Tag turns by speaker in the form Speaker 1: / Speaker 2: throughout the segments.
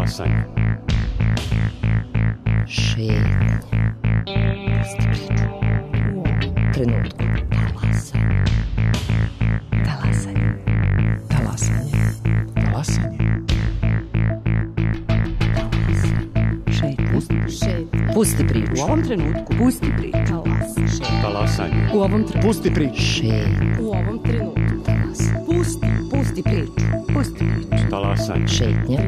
Speaker 1: Talasanje.
Speaker 2: Šetnje. Pusti priču. U ovom trenutku. Talasanje. Talasanje.
Speaker 3: Talasanje.
Speaker 2: Šetnje. Pusti priču.
Speaker 4: U ovom trenutku. Pusti priču.
Speaker 1: Talasanje.
Speaker 4: U ovom trenutku.
Speaker 3: Pusti priču.
Speaker 2: Šetnje.
Speaker 4: U ovom trenutku. Pusti priču. Pusti priču.
Speaker 1: Talasanje.
Speaker 2: Šetnje.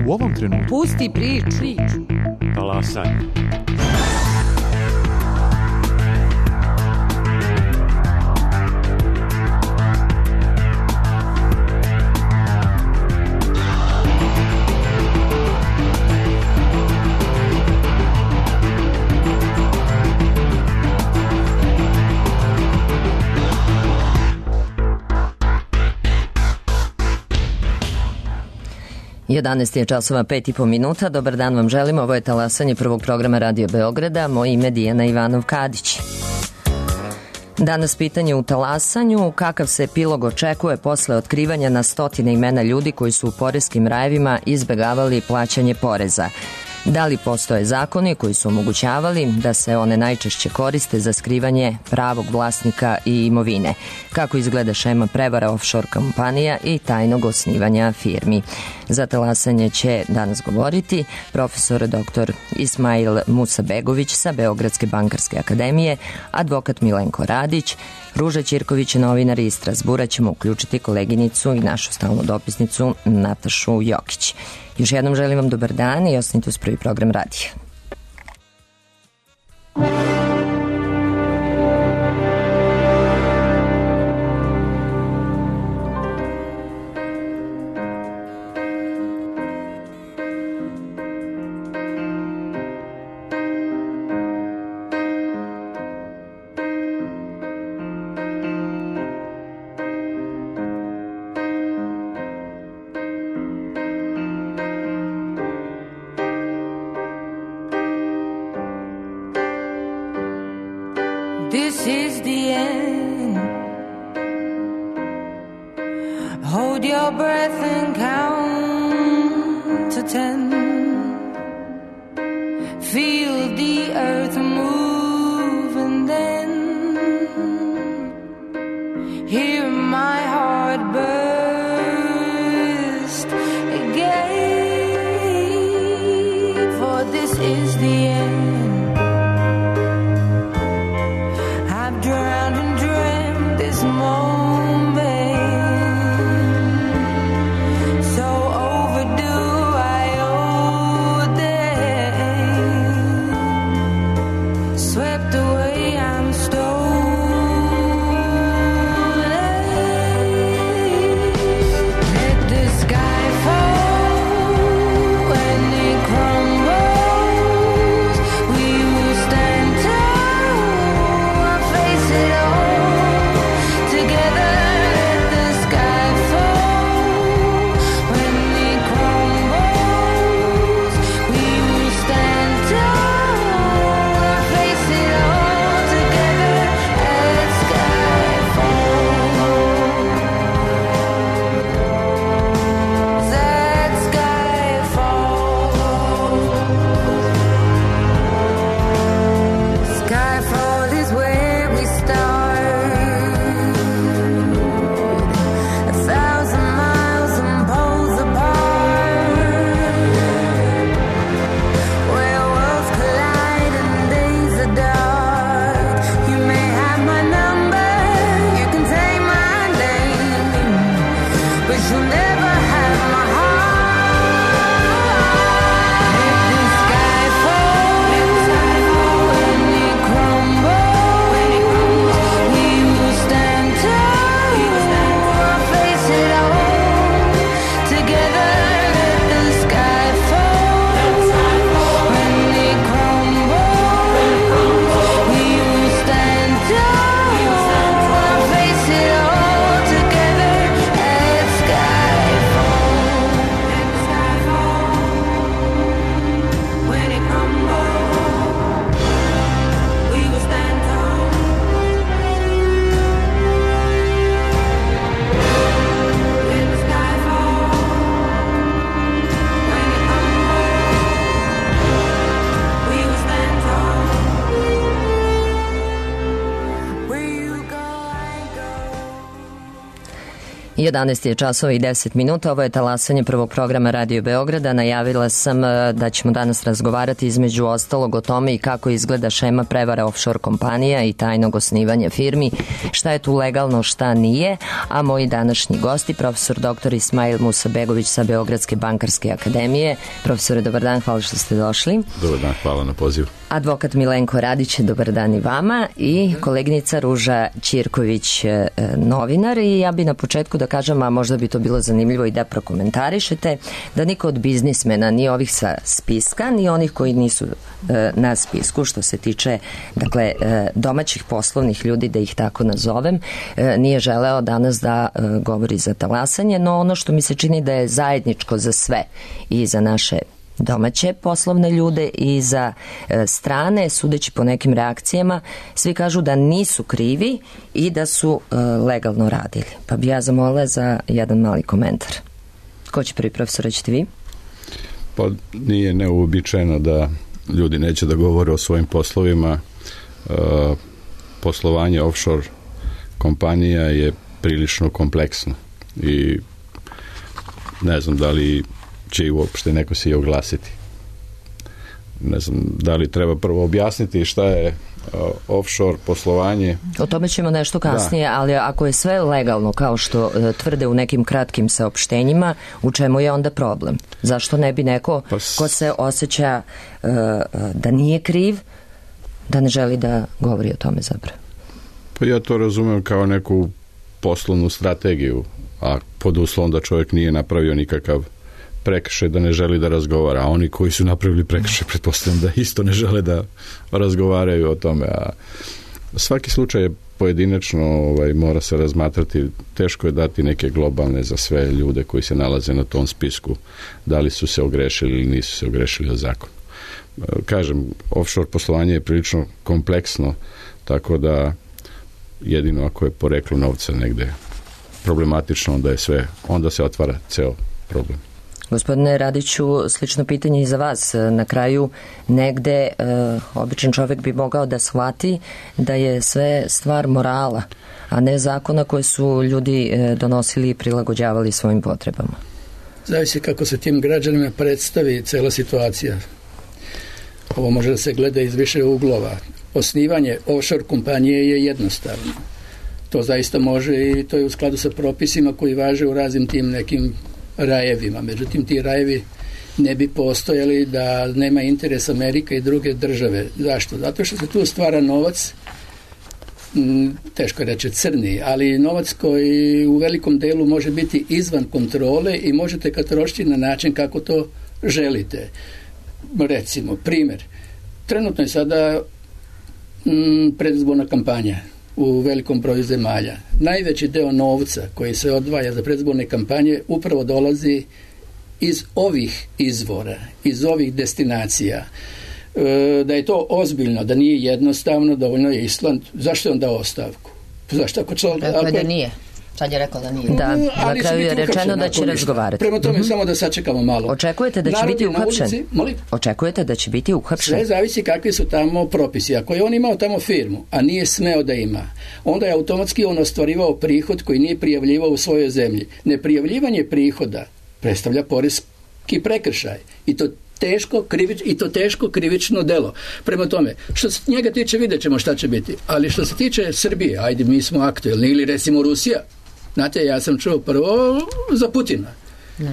Speaker 3: U ovom trenutku.
Speaker 4: Pusti priču.
Speaker 1: Talasanje.
Speaker 2: Jedanaest je časova 5,5 minuta. Dobar dan vam želim. Ovo je Talasanje prvog programa Radio Beograda. Moje ime Dijana Ivanov-Kadić. Danas pitanje u Talasanju. Kakav se epilog očekuje posle otkrivanja na stotine imena ljudi koji su u poreskim rajevima izbegavali plaćanje poreza? Da li postoje zakoni koji su omogućavali da se one najčešće koriste za skrivanje pravog vlasnika i imovine? Kako izgleda šema prevara offshore kompanija i tajnog osnivanja firmi? Za Talasanje će danas govoriti profesor dr. Ismail Musabegović sa Beogradske bankarske akademije, advokat Milenko Radić, Ruža Ćirković, novinar iz Strazbura. Ćemo uključiti koleginicu i našu stalnu dopisnicu Natašu Jokić. Još jednom želim vam dobar dan i ostanite uz prvi program radija.
Speaker 5: This is the end. Hold your breath and count to 10. Feel the earth move and then hear my heart burst again. For this is the end. Drowned and dreamt this moment, so overdue I owe them. Swept away, I'm stolen.
Speaker 2: 11 je časova i 10 minuta. Ovo je talasanje prvog programa Radio Beograda. Najavila sam da ćemo danas razgovarati između ostalog o tome i kako izgleda šema prevara offshore kompanija i tajnog osnivanja firmi, šta je tu legalno, šta nije, a moji današnji gosti, profesor dr. Ismail Musabegović sa Beogradske bankarske akademije. Profesore, dobar dan, hvala što ste došli.
Speaker 6: Dobar dan, hvala na pozivu.
Speaker 2: Advokat Milenko Radić, dobar dan i vama, i koleginica Ruža Ćirković, novinar. I ja bi na početku da kažem, a možda bi to bilo zanimljivo i da prokomentarišete, da niko od biznismena, ni ovih sa spiska, ni onih koji nisu na spisku, što se tiče dakle domaćih poslovnih ljudi, da ih tako nazovem, nije želeo danas da govori za talasanje, no ono što mi se čini da je zajedničko za sve, i za naše domaće poslovne ljude i za strane, sudeći po nekim reakcijama, svi kažu da nisu krivi i da su legalno radili. Pa bi ja zamolila za jedan mali komentar. Ko će prvi, profesor, ćete vi?
Speaker 6: Pa nije neuobičajeno da ljudi neće da govore o svojim poslovima. Poslovanje offshore kompanija je prilično kompleksno i ne znam da li će i uopšte neko se i oglasiti. Ne znam da li treba prvo objasniti šta je offshore poslovanje. O
Speaker 2: tome ćemo nešto kasnije, ali ako je sve legalno, kao što tvrde u nekim kratkim saopštenjima, u čemu je onda problem? Zašto ne bi neko ko se osjeća da nije kriv, da ne želi da govori o tome zapravo?
Speaker 6: Pa ja to razumem kao neku poslovnu strategiju, a pod uslovom da čovjek nije napravio nikakav prekršaj, da ne želi da razgovara, a oni koji su napravili prekršaj, pretpostavljam da isto ne žele da razgovaraju o tome, a svaki slučaj je pojedinačno, mora se razmatrati, teško je dati neke globalne za sve ljude koji se nalaze na tom spisku, da li su se ogrešili ili nisu se ogrešili o zakon. Kažem, offshore poslovanje je prilično kompleksno, tako da jedino ako je poreklo novca negde problematično, onda se otvara ceo problem.
Speaker 2: Gospodine Radiću, slično pitanje i za vas. Na kraju negde običan čovjek bi mogao da shvati da je sve stvar morala, a ne zakona koje su ljudi donosili i prilagođavali svojim potrebama.
Speaker 7: Zavisi kako se tim građanima predstavi cela situacija. Ovo može da se gleda iz više uglova. Osnivanje offshore kompanije je jednostavno. To zaista može i to je u skladu sa propisima koji važe u raznim tim nekim rajevima. Međutim, ti rajevi ne bi postojali da nema interes Amerika i druge države. Zašto? Zato što se tu stvara novac, teško je reći crni, ali novac koji u velikom delu može biti izvan kontrole i možete ga trošiti na način kako to želite. Recimo, primjer, trenutno je sada predizborna kampanja u velikom broju zemalja. Najveći deo novca koji se odvaja za predizborne kampanje upravo dolazi iz ovih izvora, iz ovih destinacija. Da je to ozbiljno, da nije jednostavno, dovoljno je Island. Zašto je on dao ostavku? Zašto
Speaker 4: Rekao da nije. Sad je rekao da nije.
Speaker 2: Da, na kraju je rečeno da će razgovarati.
Speaker 7: Prema tome samo da sačekamo malo.
Speaker 2: Očekujete da će biti uhapšen? Očekujete da će biti uhapšen?
Speaker 7: Sve zavisi kakvi su tamo propisi. Ako je on imao tamo firmu, a nije smeo da ima, onda je automatski on ostvarivao prihod koji nije prijavljivao u svojoj zemlji. Neprijavljivanje prihoda predstavlja poreski prekršaj. I to teško krivično delo. Prema tome, što se njega tiče, vidjet ćemo šta će biti. Ali što se tiče Srbije, ajde, mi smo aktuelni, ili recimo Rusija. Znate, ja sam čuo prvo za Putina.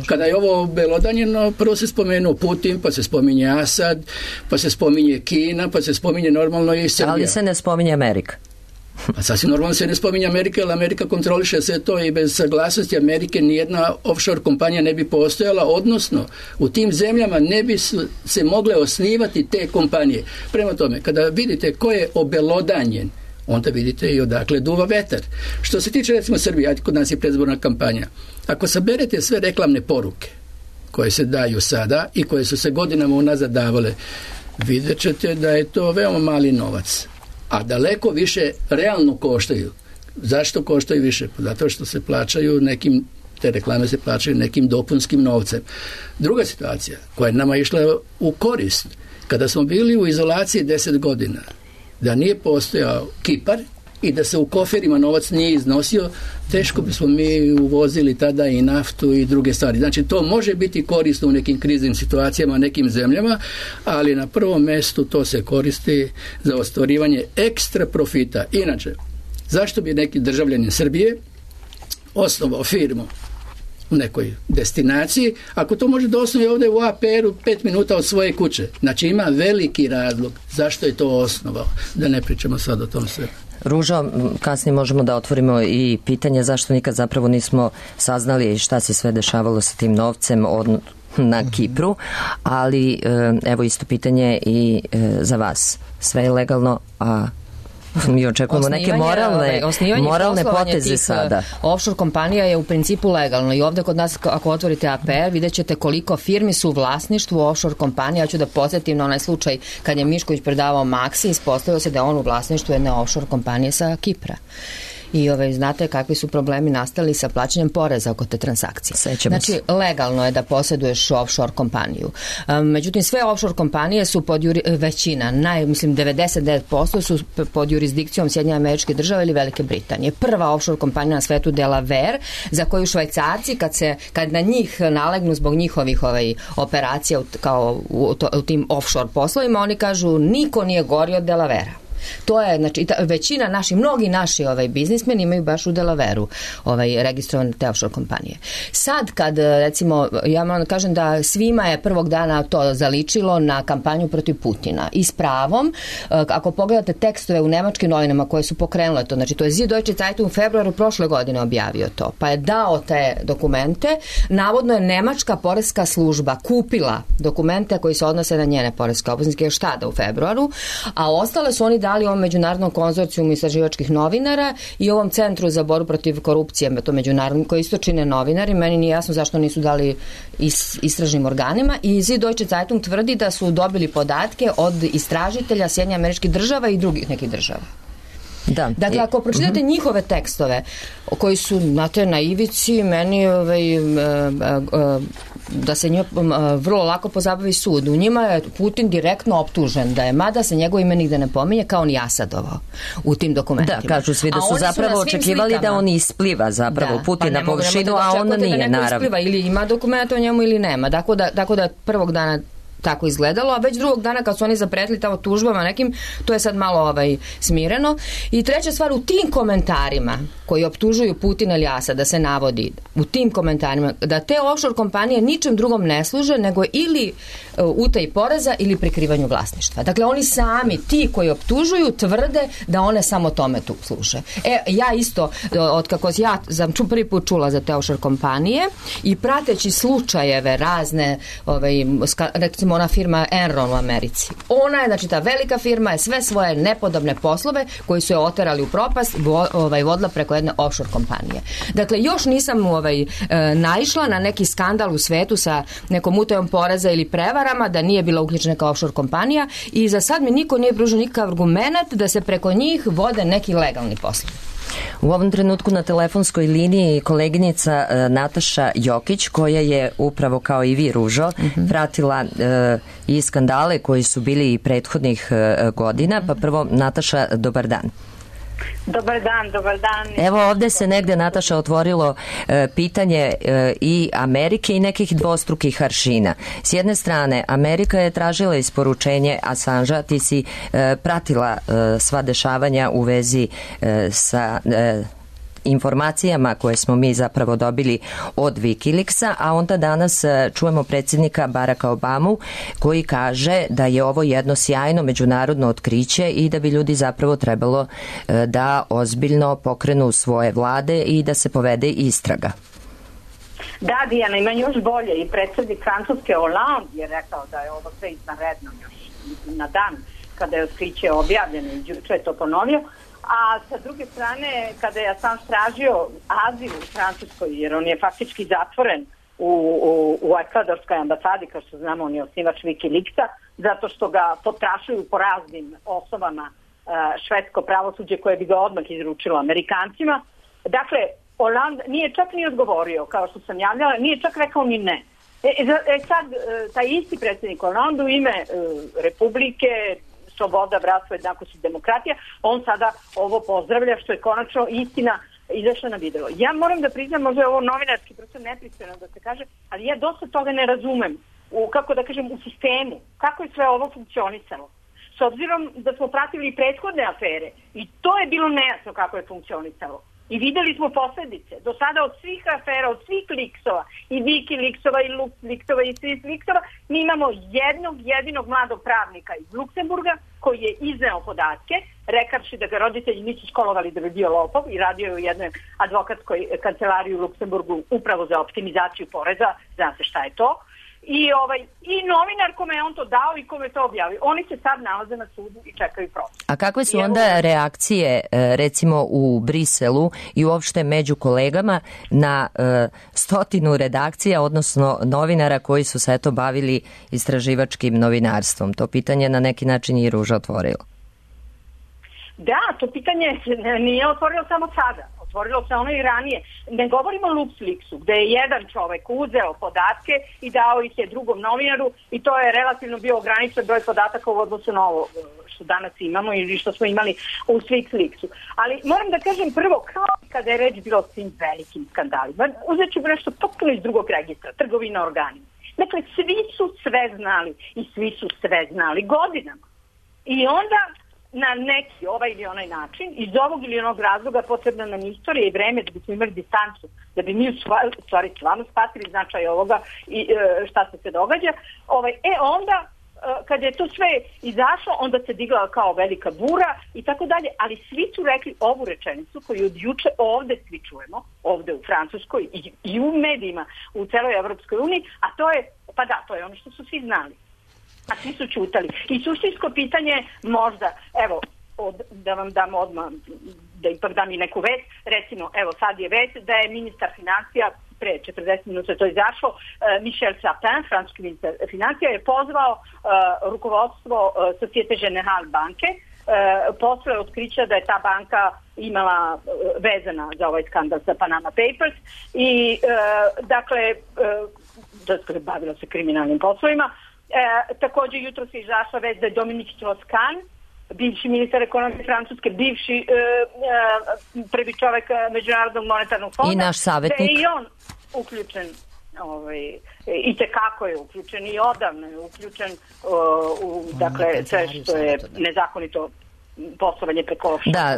Speaker 7: Kada je ovo belodanjeno, prvo se spomenuo Putin, pa se spominje Asad, pa se spominje Kina, pa se spominje normalno i Srbija.
Speaker 2: Ali se ne spominje Amerika.
Speaker 7: A sasvim normalno se ne spominje Amerika, jer Amerika kontroliše sve to i bez saglasnosti Amerike nijedna offshore kompanija ne bi postojala, odnosno u tim zemljama ne bi se mogle osnivati te kompanije. Prema tome, kada vidite ko je obelodanjen, onda vidite i odakle duva vetar. Što se tiče recimo Srbije, kod nas je predizborna kampanja. Ako saberete sve reklamne poruke koje se daju sada i koje su se godinama unazad davale, vidjet ćete da je to veoma mali novac. A daleko više realno koštaju. Zašto koštaju više? Zato što se plaćaju te reklame se plaćaju nekim dopunskim novcem. Druga situacija koja je nama išla u korist, kada smo bili u izolaciji 10 godina, da nije postojao Kipar i da se u koferima novac nije iznosio, teško bismo mi uvozili tada i naftu i druge stvari. Znači, to može biti korisno u nekim kriznim situacijama, nekim zemljama, ali na prvom mjestu to se koristi za ostvarivanje ekstra profita. Inače, zašto bi neki državljanin Srbije osnovao firmu u nekoj destinaciji, ako to može da osnovi ovdje u APR-u 5 minuta od svoje kuće? Znači, ima veliki razlog zašto je to osnovao, da ne pričamo sad o tom sve.
Speaker 2: Ružo, kasnije možemo da otvorimo i pitanje zašto nikad zapravo nismo saznali šta se sve dešavalo sa tim novcem na Kipru, ali evo isto pitanje i za vas. Sve je legalno, a mi očekujemo neke moralne poteze sada.
Speaker 8: Offshore kompanija je u principu legalno i ovdje kod nas, ako otvorite APR, vidjet ćete koliko firmi su u vlasništvu offshore kompanija. Ja ću da podsjetim na onaj slučaj kad je Mišković predavao Maxi, ispostavilo se da je on u vlasništvu jedne offshore kompanije sa Kipra. I znate kakvi su problemi nastali sa plaćanjem poreza oko te transakcije. Znači, legalno je da posjeduješ offshore kompaniju. Međutim, sve offshore kompanije su većina, mislim 99% su pod jurisdikcijom Sjedinjenih Američkih Država ili Velike Britanije. Prva offshore kompanija na svetu Delaware, za koju Švajcarci kad na njih nalegnu zbog njihovih operacija kao u tim offshore poslovima, oni kažu niko nije gori od Delavera. To je, znači, većina mnogi naši biznismeni imaju baš u Delavere-u registrovane te offshore kompanije. Sad kad, recimo, ja moram da kažem da svima je prvog dana to zaličilo na kampanju protiv Putina. I s pravom, ako pogledate tekstove u nemačkim novinama koje su pokrenule to, znači to je Süddeutsche Zeitung u februaru prošle godine objavio to, pa je dao te dokumente, navodno je nemačka poreska služba kupila dokumente koji se odnose na njene poreske obveznike još tada u februaru, a ostale su oni dali ovom međunarodnom konzorcijumu istraživačkih novinara i ovom centru za borbu protiv korupcije, to međunarodni, koji isto čine novinari. Meni nije jasno zašto nisu dali istražnim organima. I Süddeutsche Zeitung tvrdi da su dobili podatke od istražitelja Sjedinjenih Američkih Država i drugih nekih država. Da. Dakle, ako pročitate njihove tekstove koji su na ivici, meni da se njima vrlo lako pozabavi sud. U njima je Putin direktno optužen da je, mada se njegovo ime nigde ne pominje, kao ni Asadovo u tim dokumentima.
Speaker 2: Da, kažu svi da su zapravo očekivali da on ispliva zapravo Putin na površinu, a on nije, naravno.
Speaker 8: Ili ima dokumenta o njemu ili nema. Tako da prvog dana tako izgledalo, a već drugog dana kad su oni zapretili tamo tužbama nekim, to je sad malo smireno. I treća stvar, u tim komentarima koji optužuju Putina ili Asada, da se navodi u tim komentarima da te offshore kompanije ničem drugom ne služe nego ili utaji poreza ili prikrivanju vlasništva. Dakle, oni sami, ti koji optužuju, tvrde da one samo tome tu služe. Ja isto, otkako ja sam prvi put čula za te offshore kompanije i prateći slučajeve razne, recimo ona firma Enron u Americi. Ona je, znači ta velika firma je sve svoje nepodobne poslove koji su je oterali u propast vodila preko jedne offshore kompanije. Dakle, još nisam naišla na neki skandal u svetu sa nekom utajom poreza ili prevarama da nije bila uključena neka offshore kompanija i za sad mi niko nije pružio nikakav argument da se preko njih vode neki legalni poslovi.
Speaker 2: U ovom trenutku na telefonskoj liniji koleginica Nataša Jokić, koja je upravo kao i vi, Ružo, pratila i skandale koji su bili i prethodnih godina. Pa prvo, Nataša, dobar dan.
Speaker 9: Dobar dan.
Speaker 2: Evo ovdje se negdje, Nataša, otvorilo pitanje i Amerike i nekih dvostrukih aršina. S jedne strane, Amerika je tražila isporučenje Assangea, ti si pratila sva dešavanja u vezi sa informacijama koje smo mi zapravo dobili od Wikileaksa, a onda danas čujemo predsjednika Baracka Obamu koji kaže da je ovo jedno sjajno međunarodno otkriće i da bi ljudi zapravo trebalo da ozbiljno pokrenu svoje vlade i da se povede istraga.
Speaker 9: Da, Dijana, ima još bolje. I predsjednik Francuske Hollande je rekao da je ovo sve izvanredno još na dan kada je otkriće objavljeno i juče je to ponovio. A sa druge strane, kada je Assange tražio azil u Francuskoj, jer on je faktički zatvoren u ekvadorskoj ambasadi, kao što znamo, on je osnivač Wikileaksa, zato što ga potrašuju po raznim osobama švedsko pravosuđe koje bi ga odmah izručilo Amerikancima. Dakle, Hollande nije čak ni odgovorio, kao što sam javljala, nije čak rekao ni ne. Sad, taj isti predsjednik Hollande u ime Republike sloboda, bratstvo, jednakost i demokratija, on sada ovo pozdravlja što je konačno istina izašla na video. Ja moram da priznam, možda je ovo novinarski prosto nepristojno da se kaže, ali ja dosta toga ne razumem u sistemu, kako je sve ovo funkcionisalo. S obzirom da smo pratili prethodne afere i to je bilo nejasno kako je funkcionisalo. I videli smo posledice. Do sada od svih afera, od svih liksova, i Wikileaksova, i LuxLeaksova, i svih liksova, mi imamo jednog jedinog mladog pravnika iz Luksemburga koji je izneo podatke, rekavši da ga roditelji nisu školovali da bi bio lopov i radio je u jednoj advokatskoj kancelariji u Luksemburgu upravo za optimizaciju poreza, zna se šta je to. I novinar kome je on to dao i kome je to objavio. Oni se sad nalaze na sudu i čekaju proces.
Speaker 2: A kakve su onda reakcije recimo u Briselu i uopšte među kolegama na 100 redakcija, odnosno novinara koji su se eto bavili istraživačkim novinarstvom? To pitanje na neki način i Ruža otvorila.
Speaker 9: Da, to pitanje nije otvorilo samo sada. Otvorilo se ono i ranije. Ne govorimo o LuxLeaksu, gde je jedan čovek uzeo podatke i dao ih je drugom novinaru i to je relativno bio ograničen broj podataka u odnosu na ovo što danas imamo ili što smo imali u LuxLeaksu. Ali moram da kažem prvo, kao kada je reč bilo o svim velikim skandalima, uzet ću nešto potpuno iz drugog registra, trgovina organima. Dakle, svi su sve znali i svi su sve znali godinama. I onda na neki ovaj ili onaj način, iz ovog ili onog razloga potrebna nam istorija i vreme da bismo imali distancu, da bi mi u stvari stvarno shvatili značaj ovoga i šta se događa. Onda, kad je to sve izašlo, onda se digla kao velika bura i tako dalje, ali svi su rekli ovu rečenicu koju od juče ovde svi čujemo, ovde u Francuskoj i u medijima u celoj Evropskoj uniji, a to je, pa da, to je ono što su svi znali. A svi su čutali. I suštinsko pitanje možda, evo, da vam dam odmah, da ipak dam i neku vest, recimo, evo sad je vest da je ministar financija, pre 40 minuta je to izašlo, Michel Sapin, francuski ministar financija, je pozvao rukovodstvo Societe Generale banke, posle otkrića da je ta banka imala vezana za ovaj skandal sa Panama Papers i dakle, da bavila se kriminalnim poslovima. Također jutro se izašla vest da je Dominique Strauss-Kahn, bivši ministar ekonomije Francuske, bivši prvi čovek Međunarodnog monetarnog fonda,
Speaker 2: i naš savjetnik,
Speaker 9: da je i on uključen, i tekako je uključen i odavno je uključen u dakle sve što je nezakonito poslovanje preko...
Speaker 2: Da,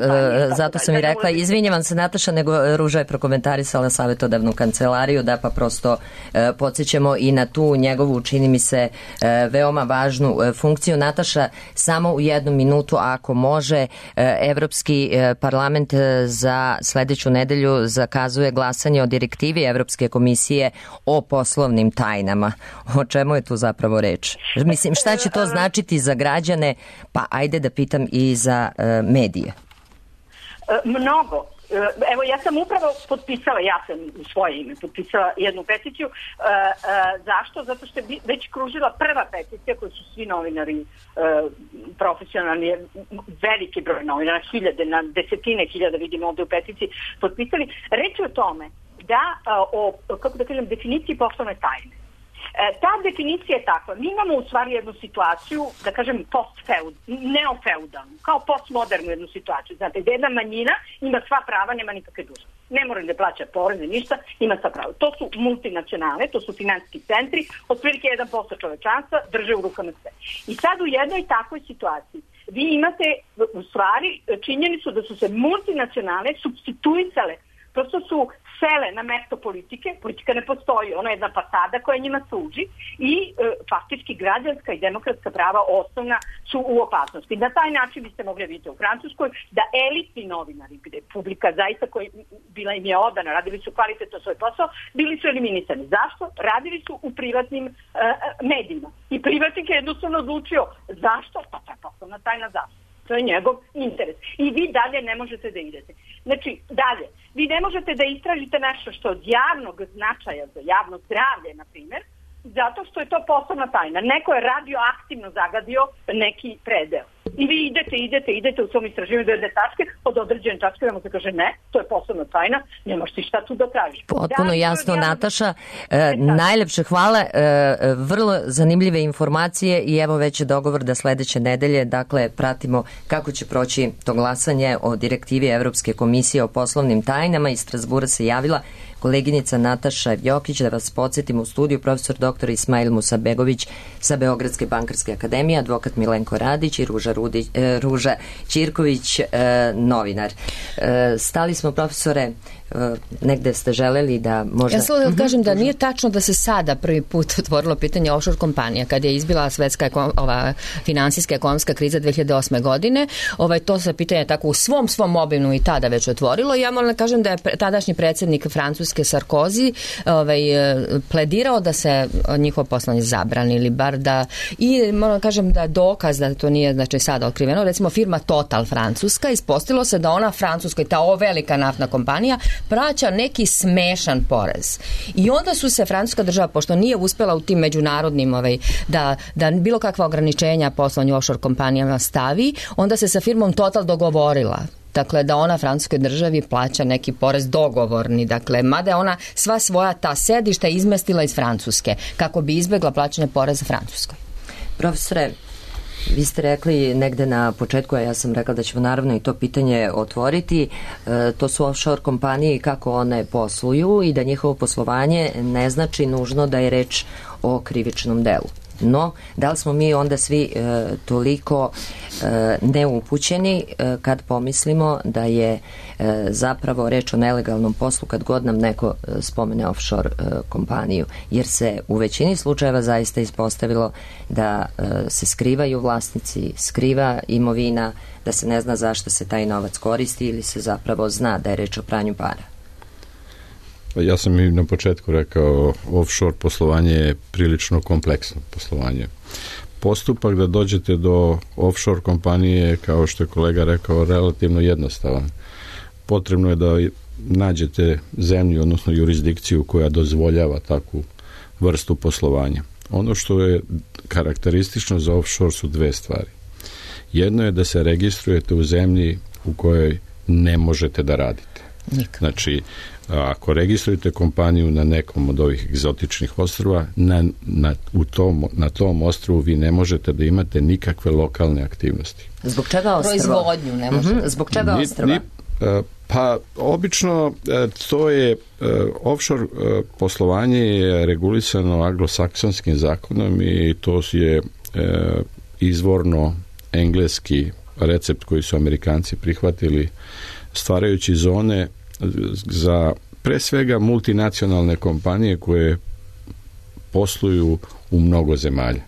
Speaker 2: zato sam i rekla, izvinjavam se Nataša, nego Ruža je prokomentarisala savjetodavnu kancelariju, da pa prosto podsjećamo i na tu njegovu, čini mi se, veoma važnu funkciju. Nataša, samo u 1 minutu, ako može, Evropski parlament za sledeću nedelju zakazuje glasanje o direktivi Evropske komisije o poslovnim tajnama. O čemu je tu zapravo reč? Mislim, šta će to značiti za građane? Pa ajde da pitam i za medije.
Speaker 9: Mnogo. Evo, ja sam upravo potpisala, ja sam u svoje ime potpisala jednu peticiju. Zašto? Zato što je već kružila prva peticija koju su svi novinari profesionalni, veliki broj novinara, hiljade, na desetine hiljada vidimo ovde u peticiji potpisali. Reč je o tome da o, kako da kažem, definiciji poslovne tajne. Ta definicija je takva. Mi imamo u stvari jednu situaciju, da kažem neofeudalnu, kao postmodernu jednu situaciju. Znate, gdje jedna manjina ima sva prava, nema nikakve dužnosti. Ne mora da plaća poreze, ništa, ima sva prava. To su multinacionalne, to su finansijski centri, otprilike 1% čovečanstva drže u rukama sve. I sad u jednoj takvoj situaciji vi imate u stvari činjenicu da su se multinacionalne supstituisale, prosto su sele na mesto politike, politika ne postoji, ona je jedna fasada koja njima služi i faktički građanska i demokratska prava osnovna su u opasnosti. Na taj način biste mogli vidjeti u Francuskoj da elitni novinari, gde publika zaista koja bila im je odana, radili su kvalitetno svoj posao, bili su eliminisani. Zašto? Radili su u privatnim medijima. I privatnik je jednostavno odlučio zašto? Pa to je poslovna tajna, zašto? To je njegov interes. I vi dalje ne možete da idete. Znači, dalje, vi ne možete da istražite nešto što od javnog značaja za javno zdravlje, na primjer, zato što je to poslovna tajna. Neko je radioaktivno zagadio neki predeo. I vi idete u svom istraživanju do jedne tačke, od određene tačke da mu se kaže ne, to je poslovna tajna, nemaš ti šta tu da tražiš.
Speaker 2: Potpuno jasno, Nataša. Najlepše hvala, vrlo zanimljive informacije i evo već je dogovor da sledeće nedelje, dakle, pratimo kako će proći to glasanje o direktivi Evropske komisije o poslovnim tajnama. Iz Strasbura se javila koleginica Nataša Jokić, da vas podsjetim, u studiju profesor dr. Ismail Musabegović sa Beogradske bankarske akademije, advokat Milenko Radić i Ruža Ćirković, novinar. Stali smo, profesore, negde ste želeli da možda...
Speaker 8: Ja samo da kažem da nije tačno da se sada prvi put otvorilo pitanje offshore kompanija kada je izbila svetska finansijska ekonomska kriza 2008. godine. To se pitanje tako u svom obimu i tada već otvorilo. Ja moram da kažem da je tadašnji predsjednik Francuske Sarkozy pledirao da se njihov poslanje zabrani ili bar da, i moram da kažem da dokaz da to nije znači sada otkriveno, recimo firma Total francuska, ispostavilo se da ona Francuskoj, ta velika naftna kompanija, plaća neki smešan porez. I onda su se francuska država, pošto nije uspela u tim međunarodnim da bilo kakva ograničenja poslovanju offshore kompanijama stavi, onda se sa firmom Total dogovorila. Dakle, da ona francuskoj državi plaća neki porez dogovorni. Dakle, mada je ona sva svoja ta sedišta izmestila iz Francuske kako bi izbjegla plaćanje poreza Francuskoj.
Speaker 2: Profesore, vi ste rekli negde na početku, a ja sam rekla da ćemo naravno i to pitanje otvoriti, to su offshore kompanije i kako one posluju i da njihovo poslovanje ne znači nužno da je reč o krivičnom delu. No, da li smo mi onda svi toliko neupućeni kad pomislimo da je zapravo reč o nelegalnom poslu kad god nam neko spomene offshore kompaniju, jer se u većini slučajeva zaista ispostavilo da se skrivaju vlasnici, skriva imovina, da se ne zna zašto se taj novac koristi ili se zapravo zna da je reč o pranju para.
Speaker 6: Ja sam i na početku rekao, offshore poslovanje je prilično kompleksno poslovanje. Postupak da dođete do offshore kompanije, kao što je kolega rekao, relativno jednostavan. Potrebno je da nađete zemlju, odnosno jurisdikciju koja dozvoljava takvu vrstu poslovanja. Ono što je karakteristično za offshore su dve stvari. Jedno je da se registrujete u zemlji u kojoj ne možete da radite.
Speaker 8: Nikad.
Speaker 6: Znači, ako registrujete kompaniju na nekom od ovih egzotičnih ostrva, na tom ostrvu vi ne možete da imate nikakve lokalne aktivnosti.
Speaker 2: Zbog čega ostrva?
Speaker 8: Proizvodnju ne možete.
Speaker 2: Zbog čega ostrva?
Speaker 6: Pa, obično to je offshore poslovanje je regulisano anglosaksonskim zakonom i to je izvorno engleski recept koji su Amerikanci prihvatili stvarajući zone za pre svega multinacionalne kompanije koje posluju u mnogo zemalja.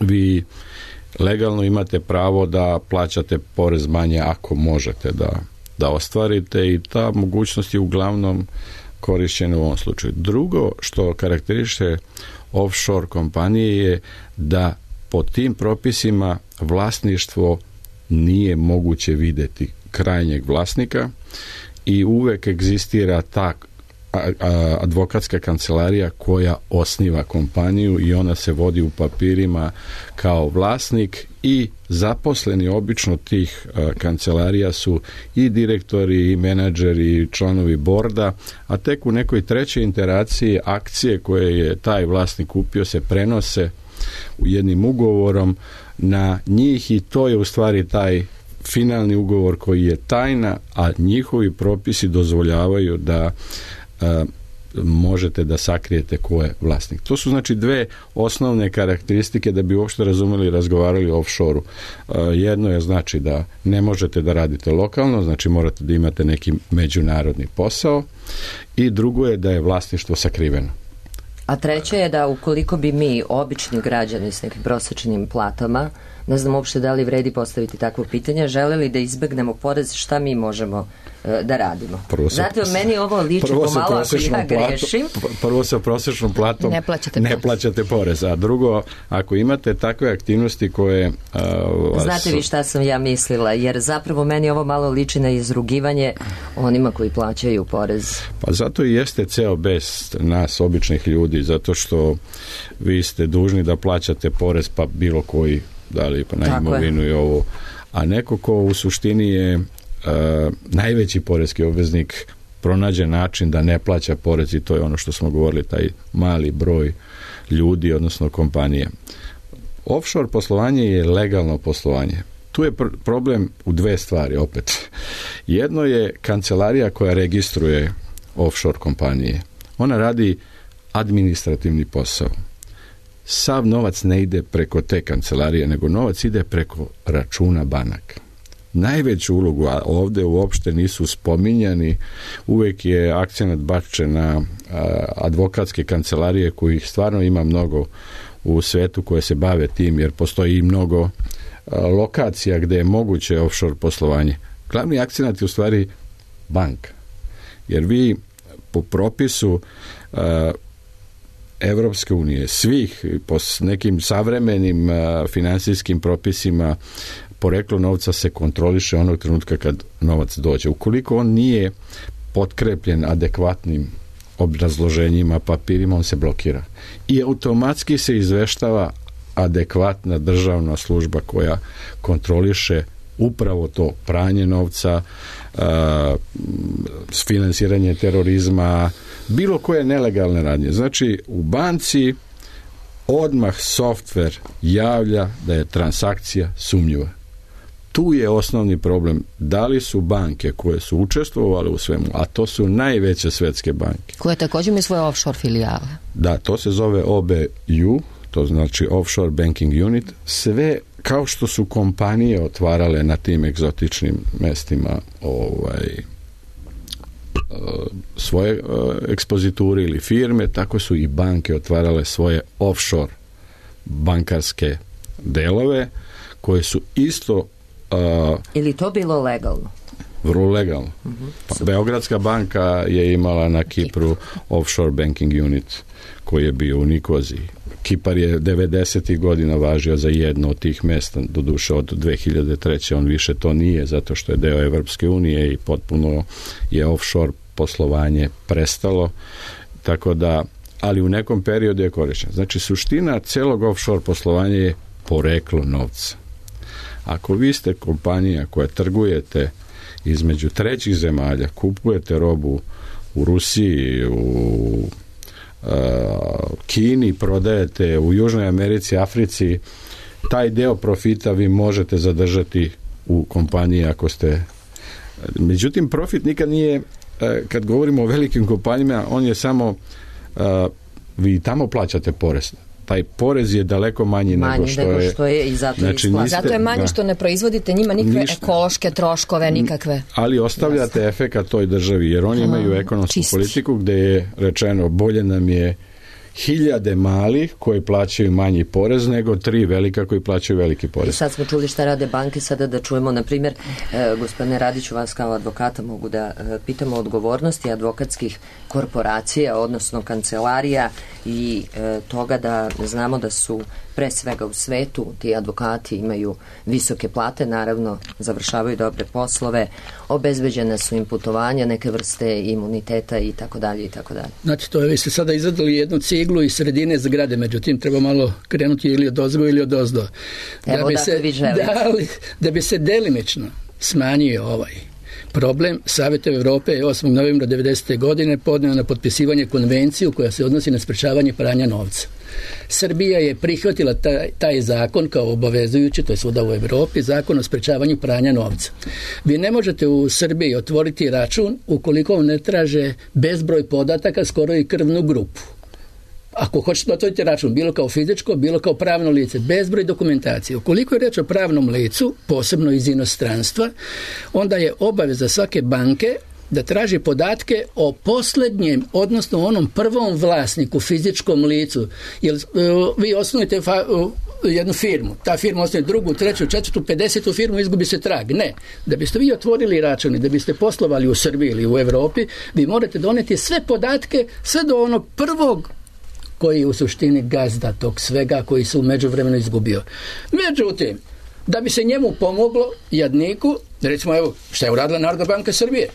Speaker 6: Vi legalno imate pravo da plaćate porez manje ako možete da ostvarite i ta mogućnost je uglavnom korišćena u ovom slučaju. Drugo što karakteriše offshore kompanije je da po tim propisima vlasništvo nije moguće vidjeti krajnjeg vlasnika i uvek egzistira ta advokatska kancelarija koja osniva kompaniju i ona se vodi u papirima kao vlasnik i zaposleni obično tih kancelarija su i direktori i menadžeri i članovi borda, a tek u nekoj trećoj interaciji akcije koje je taj vlasnik kupio se prenose u jednim ugovorom na njih i to je u stvari taj finalni ugovor koji je tajna, a njihovi propisi dozvoljavaju da možete da sakrijete ko je vlasnik. To su znači dve osnovne karakteristike da bi uopšte razumeli i razgovarali o offshore-u. Jedno je znači da ne možete da radite lokalno, znači morate da imate neki međunarodni posao i drugo je da je vlasništvo sakriveno.
Speaker 2: A treće je da ukoliko bi mi, obični građani s nekim prosječnim platama, ne znam uopšte da li vredi postaviti takvo pitanje, želeli da izbegnemo porez, šta mi možemo da radimo? Znate, meni ovo liči pomalo ako ja grešim.
Speaker 6: Prvo sa prosječnom platom ne plaćate porez, a drugo, ako imate takve aktivnosti koje...
Speaker 2: Znate vi šta sam ja mislila, jer zapravo meni ovo malo liči na izrugivanje onima koji plaćaju porez.
Speaker 6: Pa zato i jeste ceo bes nas, običnih ljudi, zato što vi ste dužni da plaćate porez pa bilo koji da li pa na imovinu i ovo, a neko ko u suštini je najveći porezki obveznik pronađe način da ne plaća porez, i to je ono što smo govorili, taj mali broj ljudi, odnosno kompanije. Offshore poslovanje je legalno poslovanje. Tu je problem u dve stvari opet. Jedno je kancelarija koja registruje offshore kompanije. Ona radi administrativni posao. Sav novac ne ide preko te kancelarije, nego novac ide preko računa banaka. Najveću ulogu, a ovdje uopšte nisu spominjani, uvijek je akcenat bačen na advokatske kancelarije, kojih stvarno ima mnogo u svetu koje se bave tim, jer postoji i mnogo lokacija gdje je moguće offshore poslovanje. Glavni akcenat je u stvari banka. Jer vi po propisu Evropske unije, svih, po nekim savremenim financijskim propisima, poreklo novca se kontroliše onog trenutka kad novac dođe. Ukoliko on nije potkrepljen adekvatnim obrazloženjima, papirima, on se blokira. I automatski se izveštava adekvatna državna služba koja kontroliše upravo to pranje novca, finansiranje terorizma, bilo koje nelegalne radnje. Znači, u banci odmah softver javlja da je transakcija sumnjiva. Tu je osnovni problem. Da li su banke koje su učestvovale u svemu, a to su najveće svetske banke,
Speaker 8: koje također imaju svoje offshore filijale.
Speaker 6: Da, to se zove OBU, to znači Offshore Banking Unit. Sve kao što su kompanije otvarale na tim egzotičnim mestima svoje ekspoziture ili firme, tako su i banke otvarale svoje offshore bankarske delove, koje su isto
Speaker 2: ili to bilo legalno?
Speaker 6: Vrlo legalno. Pa, Beogradska banka je imala na Kipru offshore banking unit koji je bio u Nikoziji. Kipar je 90. godina važio za jedno od tih mesta, doduše od 2003. on više to nije, zato što je deo Evropske unije i potpuno je offshore poslovanje prestalo, tako da, ali u nekom periodu je korišten. Znači, suština celog offshore poslovanja je poreklo novca. Ako vi ste kompanija koja trgujete između trećih zemalja, kupujete robu u Rusiji, u Kini, prodajete u Južnoj Americi, Africi, taj deo profita vi možete zadržati u kompaniji ako ste... Međutim, profit nikad nije, kad govorimo o velikim kompanijama, on je samo, vi tamo plaćate porez. Taj porez je daleko manji nego što je
Speaker 2: i zato,
Speaker 6: znači,
Speaker 8: zato je manji što ne proizvodite njima nikakve ekološke troškove, nikakve.
Speaker 6: Ali ostavljate efekat toj državi, jer oni imaju ekonomsku politiku gdje je rečeno bolje nam je 1000 malih koji plaćaju manji porez nego 3 velika koji plaćaju veliki porez.
Speaker 2: I sad smo čuli šta rade banke, sada da čujemo, na primjer, gospodine Radiću, vas kao advokata mogu da pitamo odgovornosti advokatskih korporacija, odnosno kancelarija i toga da znamo da su pre svega u svetu ti advokati imaju visoke plate, naravno završavaju dobre poslove, obezbeđene su im putovanja, neke vrste imuniteta i tako dalje i tako dalje.
Speaker 7: Znači, to je, vi ste sada izradili jednu ciglu iz sredine zgrade, međutim treba malo krenuti ili od ozgo ili od ozdo. Da bi se delimično smanjio ovaj problem, Savjet Europe je 8. novembra 90. godine podneo na potpisivanje konvenciju koja se odnosi na sprečavanje pranja novca. Srbija je prihvatila taj zakon kao obavezujući, to je svuda u Europi, zakon o sprečavanju pranja novca. Vi ne možete u Srbiji otvoriti račun ukoliko vam ne traže bezbroj podataka, skoro i krvnu grupu. Ako hoćete otvoriti račun, bilo kao fizičko, bilo kao pravno lice, bezbroj dokumentacije. Ukoliko je reč o pravnom licu, posebno iz inostranstva, onda je obaveza svake banke da traži podatke o posljednjem, odnosno onom prvom vlasniku, fizičkom licu. Jer vi osnujete jednu firmu, ta firma osnuje drugu, treću, četvrtu, 50. firmu, izgubi se trag. Ne. Da biste vi otvorili račun i da biste poslovali u Srbiji ili u Europi, vi morate doneti sve podatke, sve do onog prvog koji je u suštini gazda tog svega, koji se u međuvremenu izgubio. Međutim, da bi se njemu pomoglo, jadniku, recimo, evo, šta je uradila Narodna banka Srbije?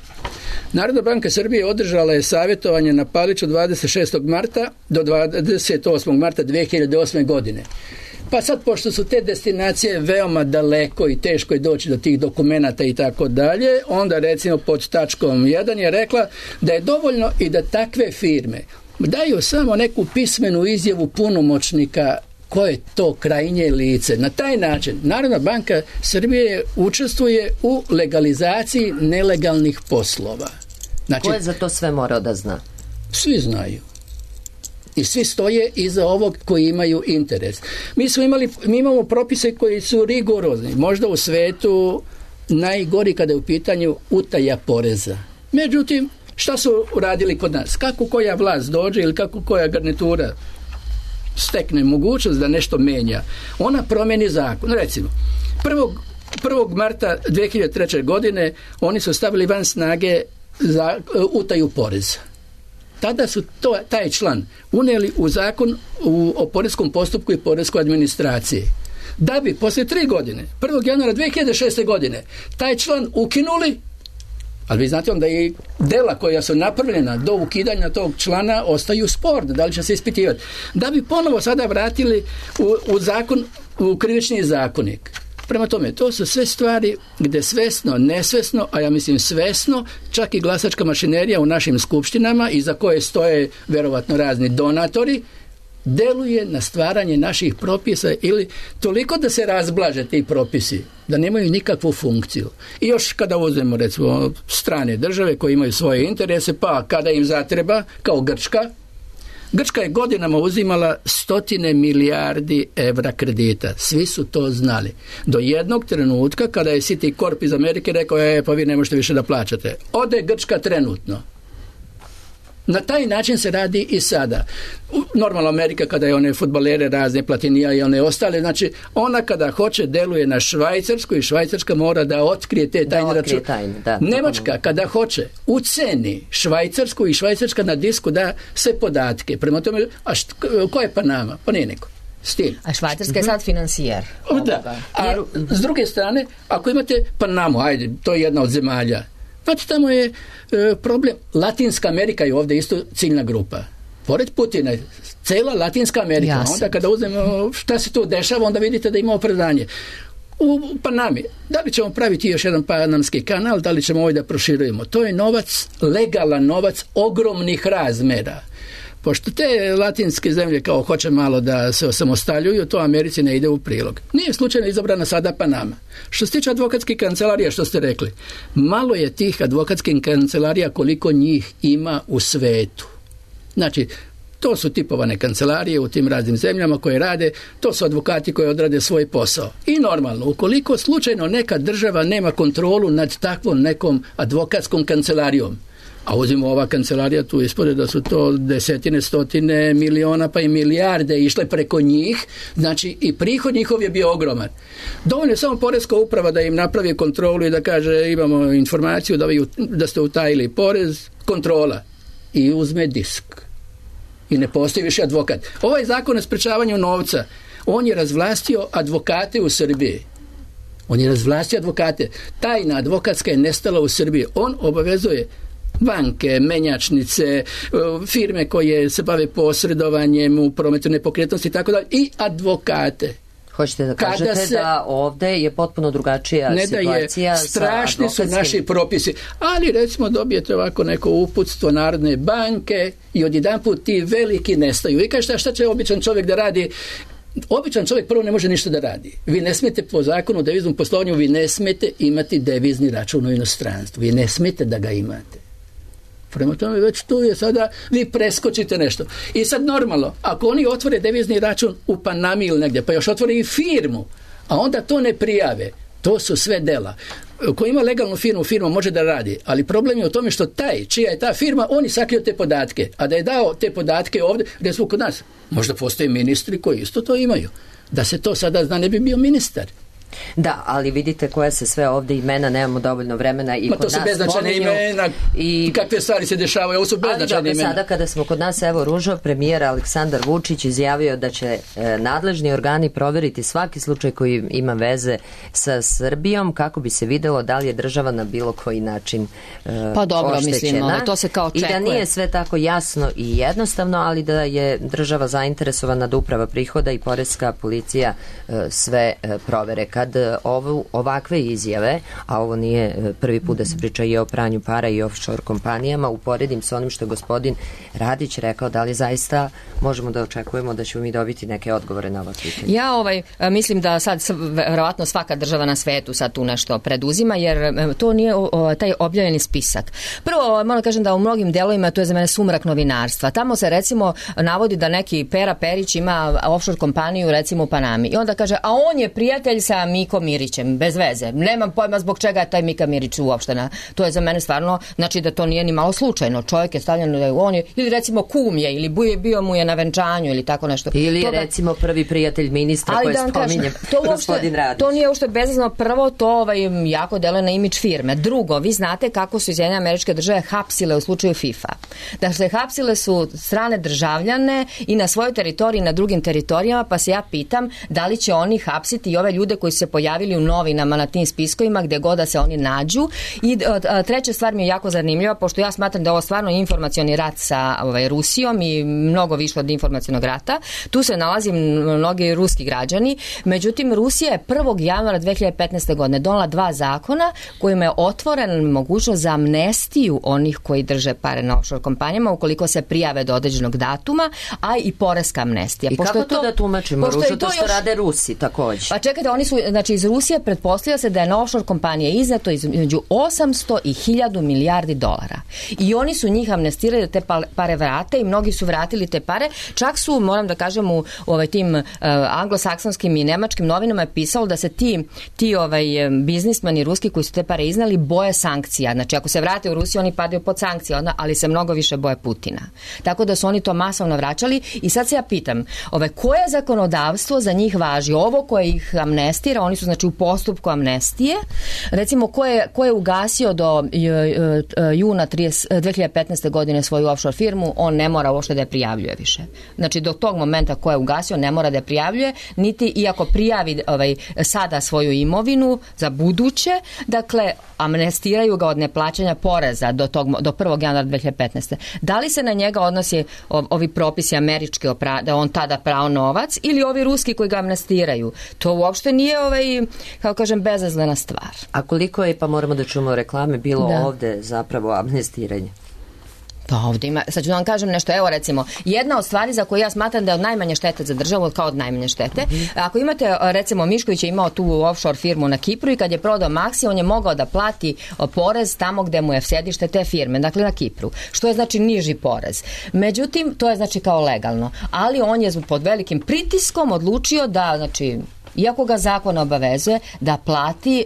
Speaker 7: Narodna banka Srbije održala je savjetovanje na Paliću 26. marta do 28. marta 2008. godine. Pa sad, pošto su te destinacije veoma daleko i teško je doći do tih dokumenata i tako dalje, onda recimo pod tačkom 1 je rekla da je dovoljno i da takve firme daju samo neku pismenu izjavu punomoćnika ko je to krajnje lice. Na taj način Narodna banka Srbije učestvuje u legalizaciji nelegalnih poslova. Znači,
Speaker 2: ko je za to sve morao da zna?
Speaker 7: Svi znaju. I svi stoje iza ovog koji imaju interes. Mi imamo propise koji su rigorozni. Možda u svetu najgori kada je u pitanju utaja poreza. Međutim, šta su uradili kod nas? Kako koja vlast dođe ili kako koja garnitura stekne mogućnost da nešto menja, ona promeni zakon. Recimo, 1. marta 2003. godine oni su stavili van snage za utaju poreza. Tada su taj član unijeli u zakon o poreskom postupku i poreskoj administraciji. Da bi poslije 3 godine, 1. januara 2006. godine, taj član ukinuli, ali vi znate onda i dela koja su napravljena do ukidanja tog člana ostaju sporne, da li će se ispitivati. Da bi ponovo sada vratili u zakon, u krivični zakonik. Prema tome, to su sve stvari gdje svesno, nesvesno, a ja mislim svesno, čak i glasačka mašinerija u našim skupštinama, iza koje stoje vjerovatno razni donatori, deluje na stvaranje naših propisa ili toliko da se razblaže ti propisi, da nemaju nikakvu funkciju. I još kada uzmemo recimo strane države koje imaju svoje interese, pa kada im zatreba, kao Grčka je godinama uzimala 100 milijardi evra kredita. Svi su to znali. Do jednog trenutka kada je Citicorp iz Amerike rekao, pa vi ne možete više da plaćate. Ode Grčka trenutno. Na taj način se radi i sada. Normalno Amerika kada je one fudbalere razne, Platinija i one ostale, znači ona kada hoće deluje na Švajcarsku i Švajcarska mora da otkrije te tajne račune. Nemačka kada hoće uceni Švajcarsku i Švajcarska na disku da se podatke. Prema tome, ko je Panama? Pa nije neko. Stil.
Speaker 8: A Švajcarska je sad financijer.
Speaker 7: Da. A s druge strane, ako imate Panamu, ajde, to je jedna od zemalja. Znači tamo je problem. Latinska Amerika je ovdje isto ciljna grupa. Pored Putina, cela Latinska Amerika. Jasne. Onda kada uzmemo šta se tu dešava, onda vidite da ima opravdanje. U Panami, da li ćemo praviti još jedan panamski kanal, da li ćemo ovaj da proširujemo? To je novac, legalan novac ogromnih razmera. Pošto te latinske zemlje kao hoće malo da se osamostaljuju, to Americi ne ide u prilog. Nije slučajno izabrana sada Panama. Što se tiče advokatskih kancelarija, što ste rekli, malo je tih advokatskih kancelarija koliko njih ima u svetu. Znači, to su tipovane kancelarije u tim raznim zemljama koje rade, to su advokati koji odrade svoj posao. I normalno, ukoliko slučajno neka država nema kontrolu nad takvom nekom advokatskom kancelarijom, a uzimo ova kancelarija, tu ispode da su to desetine, stotine miliona pa i milijarde išle preko njih, znači i prihod njihov je bio ogroman. Dovoljno je samo poreska uprava da im napravi kontrolu i da kaže imamo informaciju da ste utajili porez, kontrola i uzme disk. I ne postoji više advokat. Ovaj zakon o sprečavanju novca, on je razvlastio advokate u Srbiji. On je razvlastio advokate. Tajna advokatska je nestala u Srbiji. On obavezuje banke, menjačnice, firme koje se bave posredovanjem u prometu nepokretnosti i tako dalje, i advokate.
Speaker 2: Hoćete da kažete da ovde je potpuno drugačija situacija?
Speaker 7: Strašni su naši propisi, ali recimo dobijete ovako neko uputstvo Narodne banke i odjedanput ti veliki nestaju. I kažete, šta će običan čovjek da radi? Običan čovjek prvo ne može ništa da radi. Vi ne smete po zakonu o deviznom poslovanju, vi ne smete imati devizni račun u inostranstvu. Vi ne smete da ga imate. Prema tome već tu je sada, vi preskočite nešto. I sad normalno, ako oni otvore devizni račun u Panami ili negdje, pa još otvore i firmu, a onda to ne prijave, to su sve dela. Ko ima legalnu firmu može da radi, ali problem je u tome što čija je ta firma, oni sakriju te podatke, a da je dao te podatke ovdje, recimo kod nas, možda postoje ministri koji isto to imaju. Da se to sada zna, ne bi bio ministar.
Speaker 2: Da, ali vidite koje se sve ovde imena, nemamo dovoljno vremena i
Speaker 7: Ma
Speaker 2: kod
Speaker 7: to su
Speaker 2: nas
Speaker 7: beznačajne
Speaker 2: spominju
Speaker 7: imena,
Speaker 2: i
Speaker 7: kakve stvari se dešavaju, ovo su beznačajne imena.
Speaker 2: Sada kada smo kod nas, evo Ružo, premijer Aleksandar Vučić izjavio da će nadležni organi proveriti svaki slučaj koji ima veze sa Srbijom kako bi se videlo da li je država na bilo koji način
Speaker 8: pa dobro,
Speaker 2: oštećena.
Speaker 8: mislim, to se kao očekuje.
Speaker 2: I da nije sve tako jasno i jednostavno, ali da je država zainteresovana da uprava prihoda i poreska policija sve provere. Kad ovakve izjave, a ovo nije prvi put da se priča i o pranju para i offshore kompanijama, uporedim sa onim što je gospodin Radić rekao, da li zaista možemo da očekujemo da ćemo mi dobiti neke odgovore na ova pitanja?
Speaker 8: Ja mislim da sad verovatno svaka država na svetu sad tu nešto preduzima, jer to nije taj objavljeni spisak. Prvo, moram kažem da u mnogim delovima to je za mene sumrak novinarstva. Tamo se recimo navodi da neki Pera Perić ima offshore kompaniju recimo u Panami i onda kaže, a on je prijatelj sa Mikom Mirićem, bez veze. Nemam pojma zbog čega je taj Mika Mirić uopštena. To je za mene stvarno, znači da to nije ni malo slučajno. Čovjek je stavljen da je on je, ili recimo kum je, ili bio mu je na venčanju, ili tako nešto.
Speaker 2: Ili je recimo prvi prijatelj ministra koji spominje gospodin Radić.
Speaker 8: To nije uopšte bezazno. Prvo, to jako deluje na imidž firme. Drugo, vi znate kako su Sjedinjene Američke Države hapsile u slučaju FIFA. Dakle, hapsile su strane državljane i na svojoj teritoriji i na drugim teritorijama, pa se ja pitam da li će oni hapsiti i ove ljude koji su se pojavili u novinama na tim spiskovima gde god da se oni nađu. I treća stvar mi je jako zanimljiva, pošto ja smatram da je ovo stvarno informacioni rat sa Rusijom i mnogo više od informacionog rata. Tu se nalazi mnogi ruski građani. Međutim, Rusija je 1. januara 2015. godine donela 2 zakona kojima je otvoren mogućnost za amnestiju onih koji drže pare na offshore kompanijama ukoliko se prijave do određenog datuma, a i poreska amnestija.
Speaker 2: I kako to da tumačimo? Ružo, to što rade Rusi takođe.
Speaker 8: Pa čekajte, oni su, znači iz Rusije pretpostavlja se da je na offshore kompanije izneto između 800 i 1000 milijardi dolara. I oni su njih amnestirali da te pare vrate i mnogi su vratili te pare. Čak su, moram da kažem, u tim anglosaksonskim i nemačkim novinama je pisalo da se ti biznismeni ruski koji su te pare iznali boje sankcija. Znači ako se vrate u Rusiju oni padaju pod sankcije, ali se mnogo više boje Putina. Tako da su oni to masovno vraćali i sad se ja pitam, koje zakonodavstvo za njih važi? Ovo koje ih amnestira, oni su znači u postupku amnestije. Recimo ko je ugasio do juna 2015. godine svoju offshore firmu, on ne mora uopšte da je prijavljuje više. Znači do tog momenta ko je ugasio ne mora da je prijavljuje, niti iako prijavi sada svoju imovinu za buduće, dakle amnestiraju ga od neplaćanja poreza do 1. januara 2015. Da li se na njega odnosi ovi propisi američki da on tada prao novac ili ovi ruski koji ga amnestiraju? To uopšte nije kao kažem bezazlena stvar.
Speaker 2: A koliko je, pa moramo da čujemo reklame, bilo ovde zapravo amnestiranje?
Speaker 8: Pa ovdje ima, sad ću da vam kažem nešto, evo recimo, jedna od stvari za koju ja smatram da je od najmanje štete za državu, kao od najmanje štete, ako imate, recimo, Mišković je imao tu offshore firmu na Kipru i kad je prodao Maxi, on je mogao da plati porez tamo gde mu je sedište te firme, dakle na Kipru, što je znači niži porez. Međutim, to je znači kao legalno, ali on je pod velikim pritiskom odlučio da, znači, iako ga zakon obavezuje da plati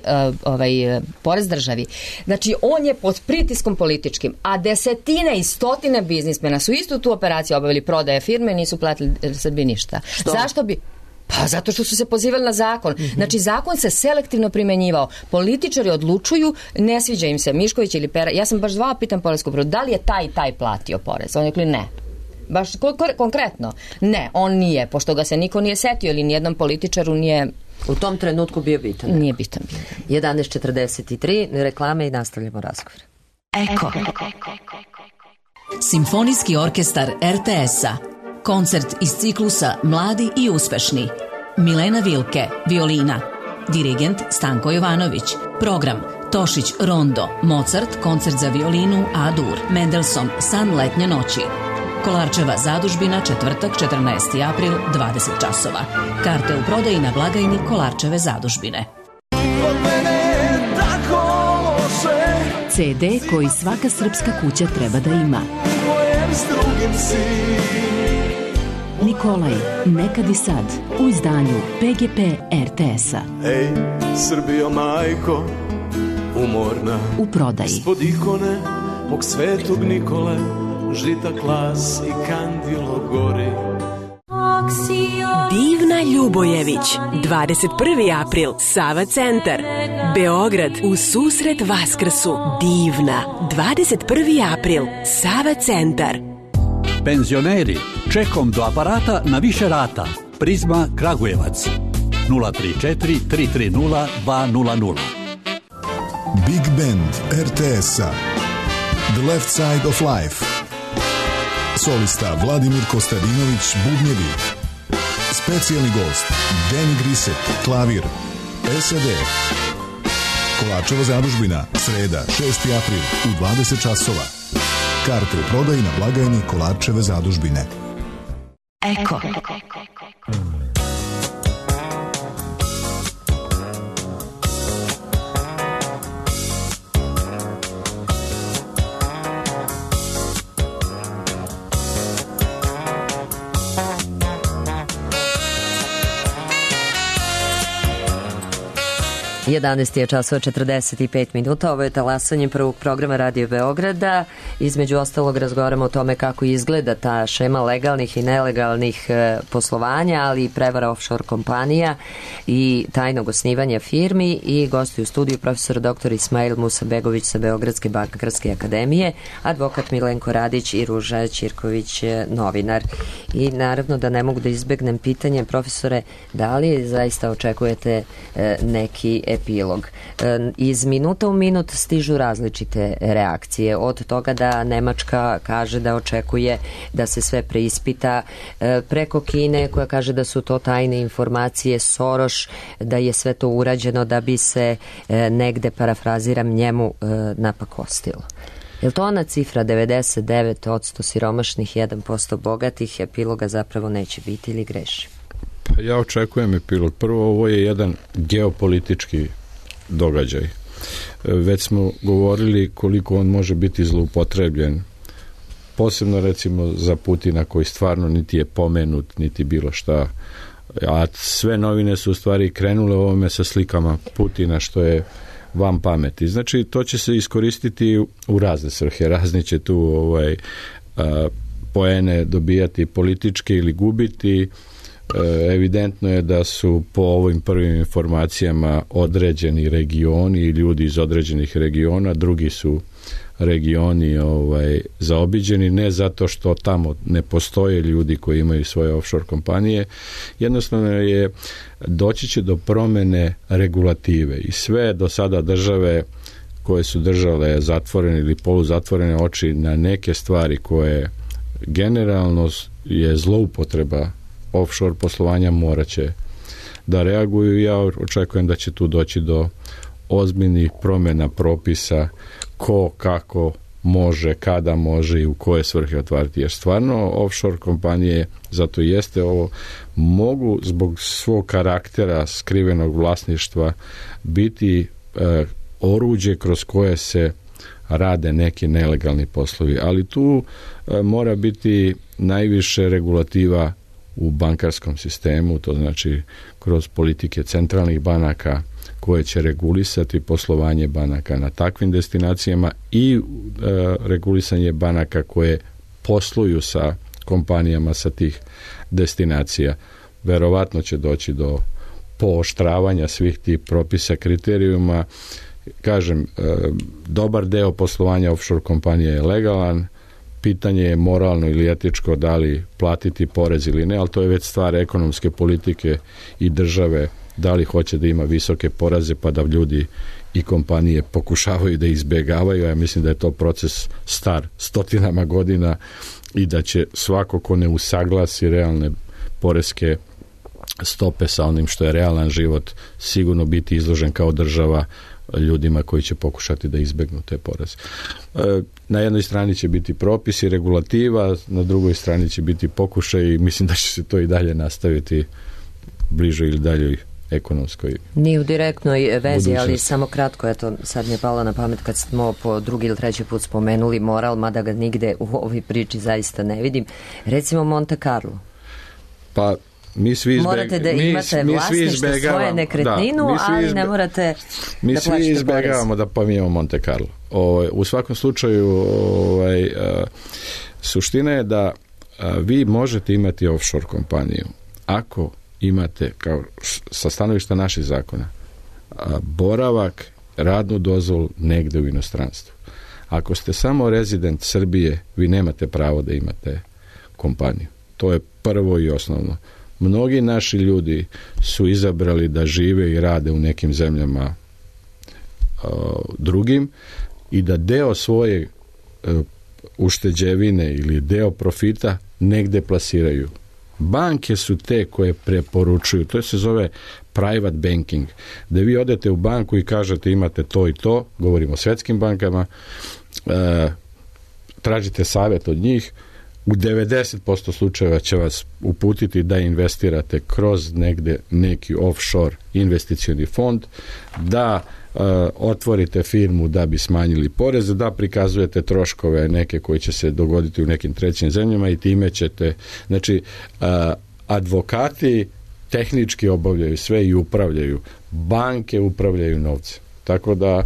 Speaker 8: porez državi. Znači, on je pod pritiskom političkim, a desetine i stotine biznismena su istu tu operaciju obavili prodaje firme i nisu platili Srbiji ništa.
Speaker 2: Što?
Speaker 8: Zašto bi... Pa zato što su se pozivali na zakon. Znači, zakon se selektivno primenjivao. Političari odlučuju, ne sviđa im se Mišković ili Pera. Ja sam baš zvao, pitam poresku upravu, da li je taj platio porez? On je rekli ne. Baš konkretno. Ne, on nije, pošto ga se niko nije setio ili nijednom političaru nije...
Speaker 2: U tom trenutku bio bitan.
Speaker 8: Nije bitan.
Speaker 2: 11:43, reklame i nastavljamo razgovor.
Speaker 10: Eko. Simfonijski orkestar RTS-a. Koncert iz ciklusa Mladi i uspešni. Milena Vilke, violina. Dirigent Stanko Jovanović. Program Tošić Rondo, Mozart, koncert za violinu A-dur, Mendelssohn, San letnje noći. Kolarčeva zadužbina, četvrtak, 14. april, 20 časova. Karte u prodaji na blagajni Kolarčeve zadužbine. CD koji svaka srpska kuća treba da ima. Nikolaj, nekad i sad, u izdanju PGP RTS-a.
Speaker 11: Ej, Srbijo majko, umorna.
Speaker 10: U prodaji.
Speaker 11: Ispod ikone mog svetog Nikole, žita klas i kandilo gori.
Speaker 12: Divna Ljubojević, 21. april, Sava centar, Beograd, u susret Vaskrsu. Divna, 21. april, Sava centar.
Speaker 13: Penzioneri, čekom do aparata na više rata. Prizma Kragujevac, 034 330 200.
Speaker 14: Big Band RTS-a, The Left Side of Life. Solista Vladimir Kostadinović, bubnjevi. Specijalni gost Danny Grisset, klavir. SED. Kolarčeva zadužbina, sreda, 6. april, u 20 časova. Karte u prodaji na blagajni Kolarčeve zadužbine.
Speaker 10: Eko.
Speaker 2: 11 je časova 45 minuta. Ovo je talasanje prvog programa Radio Beograda. Između ostalog razgovaramo o tome kako izgleda ta šema legalnih i nelegalnih poslovanja, ali i prevara offshore kompanija i tajnog osnivanja firmi. I gosti u studiju profesor dr. Ismail Musabegović sa Beogradske bankarske akademije, advokat Milenko Radić i Ruža Ćirković, novinar. I naravno da ne mogu da izbegnem pitanje, profesore, da li zaista očekujete neki epilog? Iz minuta u minut stižu različite reakcije, od toga da Nemačka kaže da očekuje da se sve preispita, preko Kine koja kaže da su to tajne informacije, Soros da je sve to urađeno da bi se negde, parafraziram, njemu napakostilo. Je li to ona cifra 99% siromašnih, 1% bogatih, epiloga zapravo neće biti ili greši?
Speaker 6: Ja očekujem epilog. Prvo, ovo je jedan geopolitički događaj. Već smo govorili koliko on može biti zloupotrebljen. Posebno recimo za Putina koji stvarno niti je pomenut, niti bilo šta. A sve novine su u stvari krenule ovome sa slikama Putina, što je van pameti. Znači, to će se iskoristiti u razne svrhe. Razni će tu poene dobijati politički ili gubiti. Evidentno je da su po ovim prvim informacijama određeni regioni i ljudi iz određenih regiona, drugi su regioni zaobiđeni, ne zato što tamo ne postoje ljudi koji imaju svoje offshore kompanije, jednostavno je doći će do promene regulative i sve do sada države koje su držale zatvorene ili poluzatvorene oči na neke stvari koje generalno je zloupotreba offshore poslovanja, morat će da reaguju. Ja očekujem da će tu doći do ozbiljnih promjena propisa ko, kako može, kada može i u koje svrhe otvarati. Jer stvarno offshore kompanije, zato jeste ovo, mogu zbog svog karaktera skrivenog vlasništva biti oruđe kroz koje se rade neki nelegalni poslovi. Ali tu mora biti najviše regulativa u bankarskom sistemu, to znači kroz politike centralnih banaka koje će regulisati poslovanje banaka na takvim destinacijama i regulisanje banaka koje posluju sa kompanijama sa tih destinacija. Verovatno će doći do pooštravanja svih tih propisa, kriterijuma. Kažem, dobar deo poslovanja offshore kompanije je legalan, pitanje je moralno ili etičko da li platiti porez ili ne, ali to je već stvar ekonomske politike i države, da li hoće da ima visoke poreze pa da ljudi i kompanije pokušavaju da izbjegavaju. Ja mislim da je to proces star stotinama godina i da će svako ko ne usaglasi realne poreske stope sa onim što je realan život sigurno biti izložen kao država ljudima koji će pokušati da izbegnu te poreze. Na jednoj strani će biti propis i regulativa, na drugoj strani će biti pokušaj i mislim da će se to i dalje nastaviti bližoj ili daljoj ekonomskoj.
Speaker 2: Nije u direktnoj vezi, budućnosti. Ali samo kratko, eto, sad mi je palo na pamet kad smo po drugi ili treći put spomenuli moral, mada ga nigde u ovoj priči zaista ne vidim. Recimo Monte Carlo.
Speaker 6: Pa
Speaker 2: morate da imate vlasništvo svoje nekretninu, ali ne morate
Speaker 6: mi da svi izbjegavamo da pominjamo Monte Carlo. U svakom slučaju suština je da vi možete imati offshore kompaniju ako imate, kao sa stanovišta naših zakona, boravak, radnu dozvolu negde u inostranstvu. Ako ste samo rezident Srbije, vi nemate pravo da imate kompaniju. To je prvo i osnovno. Mnogi naši ljudi su izabrali da žive i rade u nekim zemljama drugim i da deo svoje ušteđevine ili deo profita negde plasiraju. Banke su te koje preporučuju, to se zove private banking, da vi odete u banku i kažete imate to i to, govorimo o svetskim bankama, tražite savjet od njih, u 90% slučajeva će vas uputiti da investirate kroz negde neki offshore investicioni fond, da otvorite firmu da bi smanjili poreze, da prikazujete troškove neke koji će se dogoditi u nekim trećim zemljama i time ćete, znači advokati tehnički obavljaju sve i upravljaju, banke upravljaju novce, tako da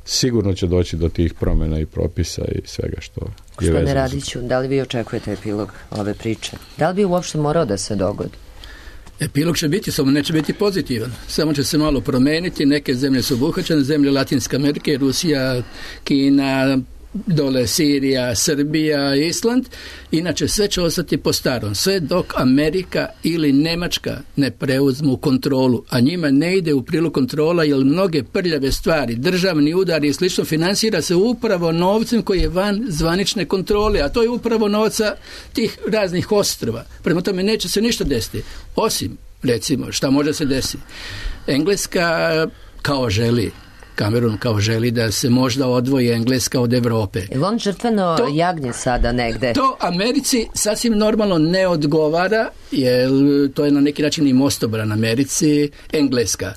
Speaker 6: sigurno će doći do tih promjena i propisa i svega što je vezano.
Speaker 2: Gospodine Radiću, da li vi očekujete epilog ove priče? Da li bi uopšte morao da se dogodi?
Speaker 7: Epilog će biti, samo neće biti pozitivan. Samo će se malo promeniti. Neke zemlje su obuhvaćene, zemlje Latinske Amerike, Rusija, Kina, dole Sirija, Srbija, Island. Inače sve će ostati po starom. Sve dok Amerika ili Nemačka ne preuzmu kontrolu. A njima ne ide u prilog kontrola jer mnoge prljave stvari, državni udari i slično finansira se upravo novcem koji je van zvanične kontrole. A to je upravo novca tih raznih ostrva. Prema tome neće se ništa desiti. Osim, recimo, šta može se desiti? Engleska kao želi, Cameron kao želi da se možda odvoji Engleska od Evrope.
Speaker 2: Je on žrtveno jagnje sada negde?
Speaker 7: To Americi sasvim normalno ne odgovara, jer to je na neki način i mostobran Americi, Engleska.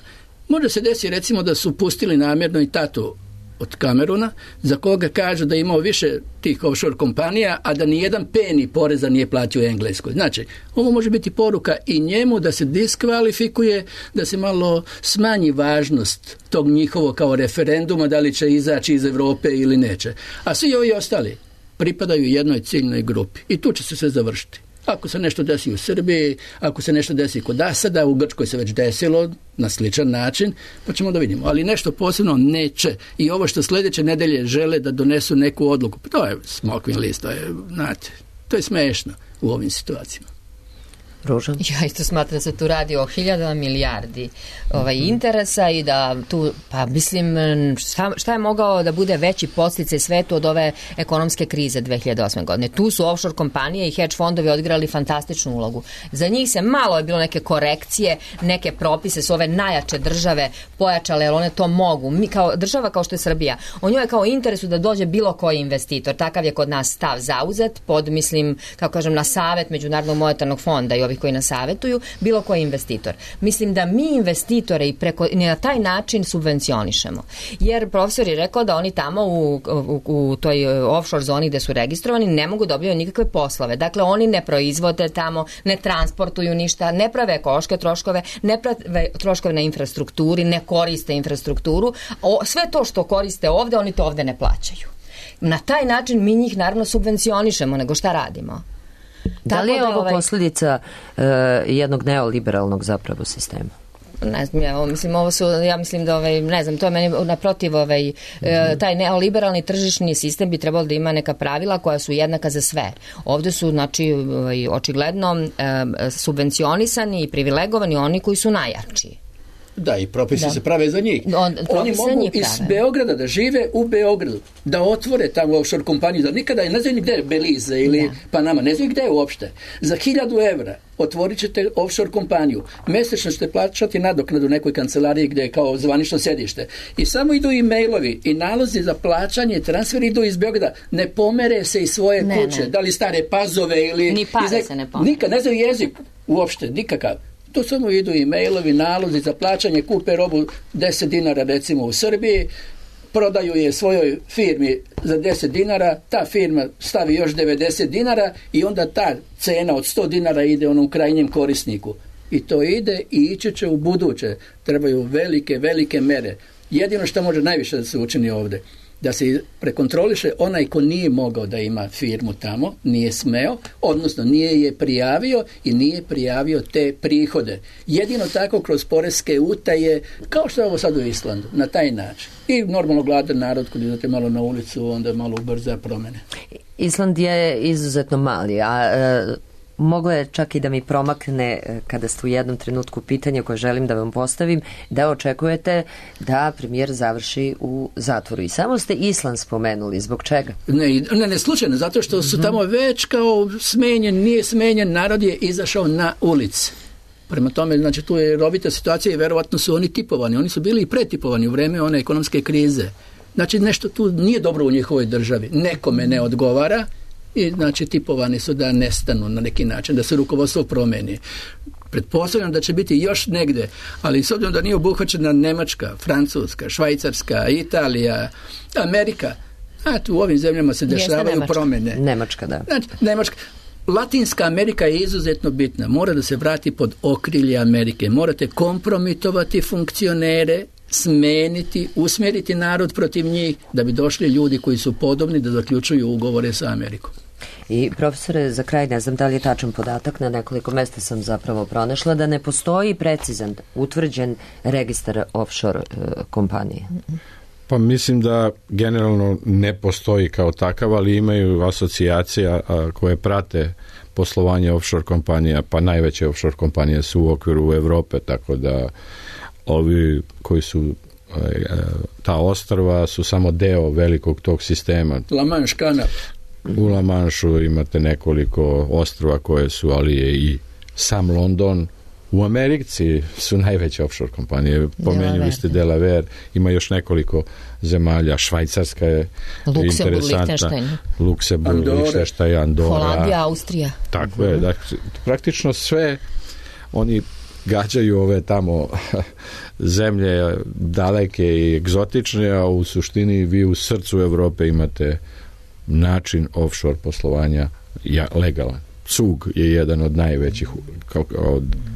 Speaker 7: Može se desiti recimo da su pustili namjerno i tatu od Camerona, za koga kažu da je imao više tih offshore kompanija, a da nijedan peni poreza nije platio u Engleskoj. Znači, ovo može biti poruka i njemu da se diskvalifikuje, da se malo smanji važnost tog njihovog kao referenduma, da li će izaći iz Evrope ili neće. A svi ovi ostali pripadaju jednoj ciljnoj grupi. I tu će se sve završiti. Ako se nešto desi u Srbiji, ako se nešto desi kod Asada, u Grčkoj se već desilo na sličan način, pa ćemo da vidimo. Ali nešto posebno neće. I ovo što sljedeće nedelje žele da donesu neku odluku, to je smokvin list, to je, znate, to je smešno u ovim situacijama.
Speaker 2: Ruža?
Speaker 8: Ja isto smatram da se tu radi o 1000 milijardi interesa i da tu, pa mislim, šta je mogao da bude veći podsticaj svetu od ove ekonomske krize 2008. godine? Tu su offshore kompanije i hedge fondovi odigrali fantastičnu ulogu. Za njih se malo je bilo neke korekcije, neke propise su ove najjače države pojačale, jer one to mogu. Mi kao država kao što je Srbija, o njoj je kao interesu da dođe bilo koji investitor. Takav je kod nas stav zauzet pod, mislim, kako kažem, na savet Međunarodnog monetarnog fonda i ovih koji nas savetuju, bilo koji investitor. Mislim da mi investitore i na taj način subvencionišemo. Jer profesor je rekao da oni tamo u toj offshore zoni gde su registrovani ne mogu dobiti nikakve poslove. Dakle, oni ne proizvode tamo, ne transportuju ništa, ne prave ekološke troškove, ne prave troškove na infrastrukturi, ne koriste infrastrukturu. Sve to što koriste ovde, oni to ovde ne plaćaju. Na taj način mi njih naravno subvencionišemo, nego šta radimo?
Speaker 2: Da li je ovo posljedica jednog neoliberalnog zapravo sistema?
Speaker 8: Ne znam, ja mislim da ne znam, to je meni naprotiv taj neoliberalni tržišni sistem bi trebalo da ima neka pravila koja su jednaka za sve. Ovde su, znači, očigledno subvencionisani i privilegovani oni koji su najjači.
Speaker 7: Da, i propisi se prave za njih. Oni mogu iz Beograda da žive u Beogradu, da otvore tamo offshore kompaniju, da nikada ne znaju gde je Belize ili Panama, ne znaju gde je uopšte. Za 1000 evra otvorit ćete offshore kompaniju. Mesečno ćete plaćati nadoknadu nekoj kancelariji gde je kao zvanično sedište. I samo idu i mailovi i nalozi za plaćanje, transferi idu iz Beograda. Ne pomere se iz svoje kuće. Da li Stare Pazove ili...
Speaker 8: Ni pare se ne pomere.
Speaker 7: Nikad ne znaju jezik uopšte, nikakav. To samo idu i mailovi, nalozi za plaćanje, kupe robu 10 dinara recimo u Srbiji, prodaju je svojoj firmi za 10 dinara, ta firma stavi još 90 dinara i onda ta cena od 100 dinara ide onom krajnjem korisniku. I to ide i ići će u buduće. Trebaju velike mere. Jedino što može najviše da se učini ovde, da se prekontroliše onaj ko nije mogao da ima firmu tamo, nije smeo, odnosno nije je prijavio i nije prijavio te prihode. Jedino tako kroz poreske utaje, kao što je ovo sad u Islandu, na taj način. I normalno gladan narod, kad idete malo na ulicu, onda malo ubrza promene.
Speaker 2: Island je izuzetno mali, a moglo je čak i da mi promakne kada ste u jednom trenutku pitanje koje želim da vam postavim, da očekujete da premijer završi u zatvoru. I samo ste Island spomenuli. Zbog čega?
Speaker 7: Ne, slučajno, zato što su tamo već kao smenjen, nije smenjen, narod je izašao na ulici. Prema tome, znači tu je rovita situacija i verovatno su oni tipovani. Oni su bili i pretipovani u vreme one ekonomske krize. Znači nešto tu nije dobro u njihovoj državi. Nekome ne odgovara i znači tipovani su da nestanu na neki način, da se rukovodstvo promeni. Pretpostavljam da će biti još negde, ali s obzirom da nije obuhvaćena Nemačka, Francuska, Švajcarska, Italija, Amerika, znači u ovim zemljama se dešavaju promjene.
Speaker 2: Nemačka, da.
Speaker 7: Znači, Nemačka. Latinska Amerika je izuzetno bitna. Mora da se vrati pod okrilje Amerike. Morate kompromitovati funkcionere, smeniti, usmjeriti narod protiv njih da bi došli ljudi koji su podobni da zaključuju ugovore sa Amerikom.
Speaker 2: I profesore, za kraj, ne znam da li je tačan podatak, na nekoliko mesta sam zapravo pronašla da ne postoji precizan, utvrđen registar offshore kompanije.
Speaker 6: Pa mislim da generalno ne postoji kao takav, ali imaju asocijacija koje prate poslovanje offshore kompanija, pa najveće offshore kompanije su u okviru Evrope, tako da ovi koji su ta ostrva su samo deo velikog tog sistema.
Speaker 7: La Manche kanal.
Speaker 6: U La Mancheu imate nekoliko ostrva koje su, ali je i sam London. U Americi su najveće offshore kompanije. Pomenuli ste Delaware, ima još nekoliko zemalja. Švajcarska je interesantna. Luksemburg, Lichtenstein, Andora.
Speaker 8: Holandija, Austrija.
Speaker 6: Tako je. Dakle, praktično sve oni gađaju ove tamo zemlje daleke i egzotične, a u suštini vi u srcu Evrope imate način offshore poslovanja legalan. Zug je jedan od najvećih, kao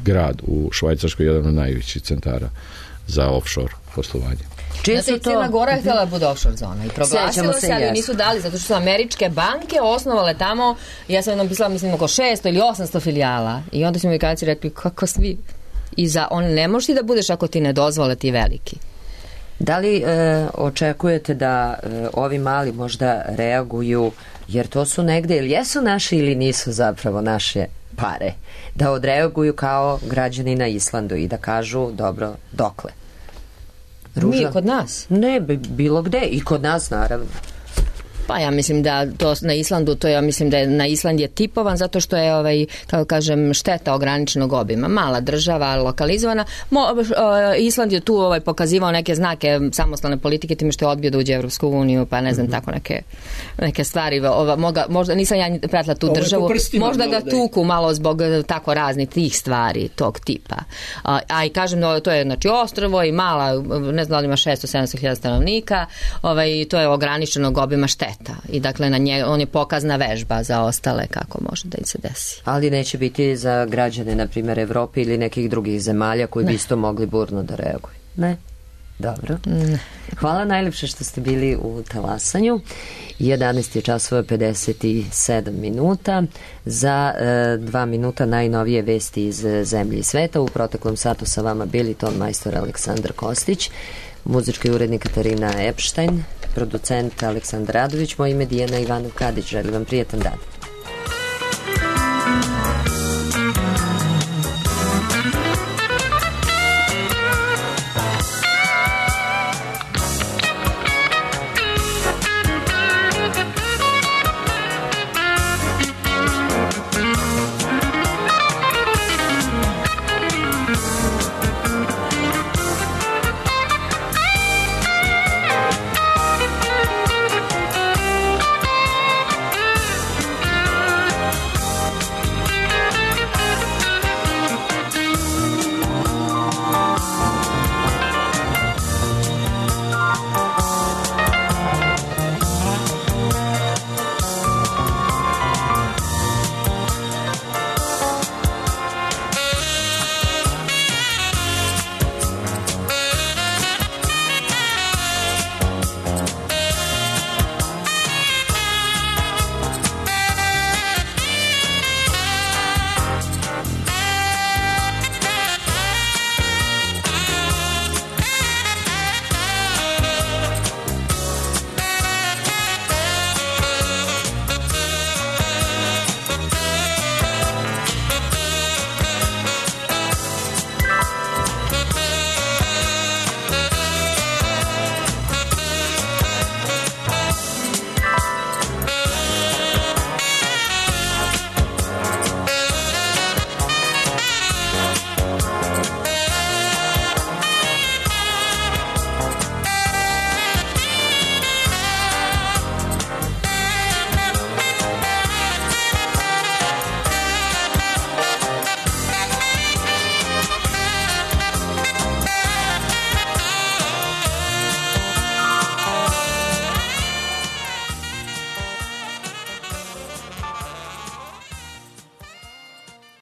Speaker 6: grad u Švajcarskoj, jedan od najvećih centara za offshore poslovanje.
Speaker 8: Znate, Crna Gora je htjela da bude offshore zona i proglasila se, ali nisu dali, zato što su američke banke osnovale tamo, ja sam jednom pisala, mislim, oko 600 ili 800 filijala i onda su Amerikanci rekli, kako svi, i za on ne možeš ti da budeš ako ti ne dozvole ti veliki.
Speaker 2: Da li očekujete da ovi mali možda reaguju, jer to su negde, ili jesu naše ili nisu zapravo naše pare, da odreaguju kao građani na Islandu i da kažu, dobro, dokle?
Speaker 8: Ruža? Nije kod nas?
Speaker 2: Ne, bilo gde, i kod nas naravno.
Speaker 8: Pa ja mislim da to na Islandu, to ja mislim da je na Island je tipovan zato što je kako kažem, šteta ograničenog obima. Mala država, lokalizovana. Island je tu pokazivao neke znake samostalne politike time što je odbio da uđe u Evropsku uniju, pa ne znam, tako neke stvari. Možda nisam ja pratila tu državu. Možda ga tuku malo zbog tako raznih tih stvari tog tipa. A i kažem, to je znači ostrvo i mala, ne znam da li ima 600-700 hiljada stanovnika, to je ograničenog obima šteta. I dakle on je pokazna vežba za ostale kako može da im se desi.
Speaker 2: Ali neće biti za građane, na primjer, Evrope ili nekih drugih zemalja koji bi isto mogli burno da reaguju? Ne? Dobro. Hvala najlepše što ste bili u Talasanju. 11 je časova 57 minuta. Za 2 minuta najnovije vesti iz zemlje i sveta. U proteklom satu sa vama bili ton majstor Aleksandar Kostić, muzički urednik Katarina Epštajn, producent Aleksandar Radović, moje ime Dijana Ivanov Kadić. Želim vam prijetan dan.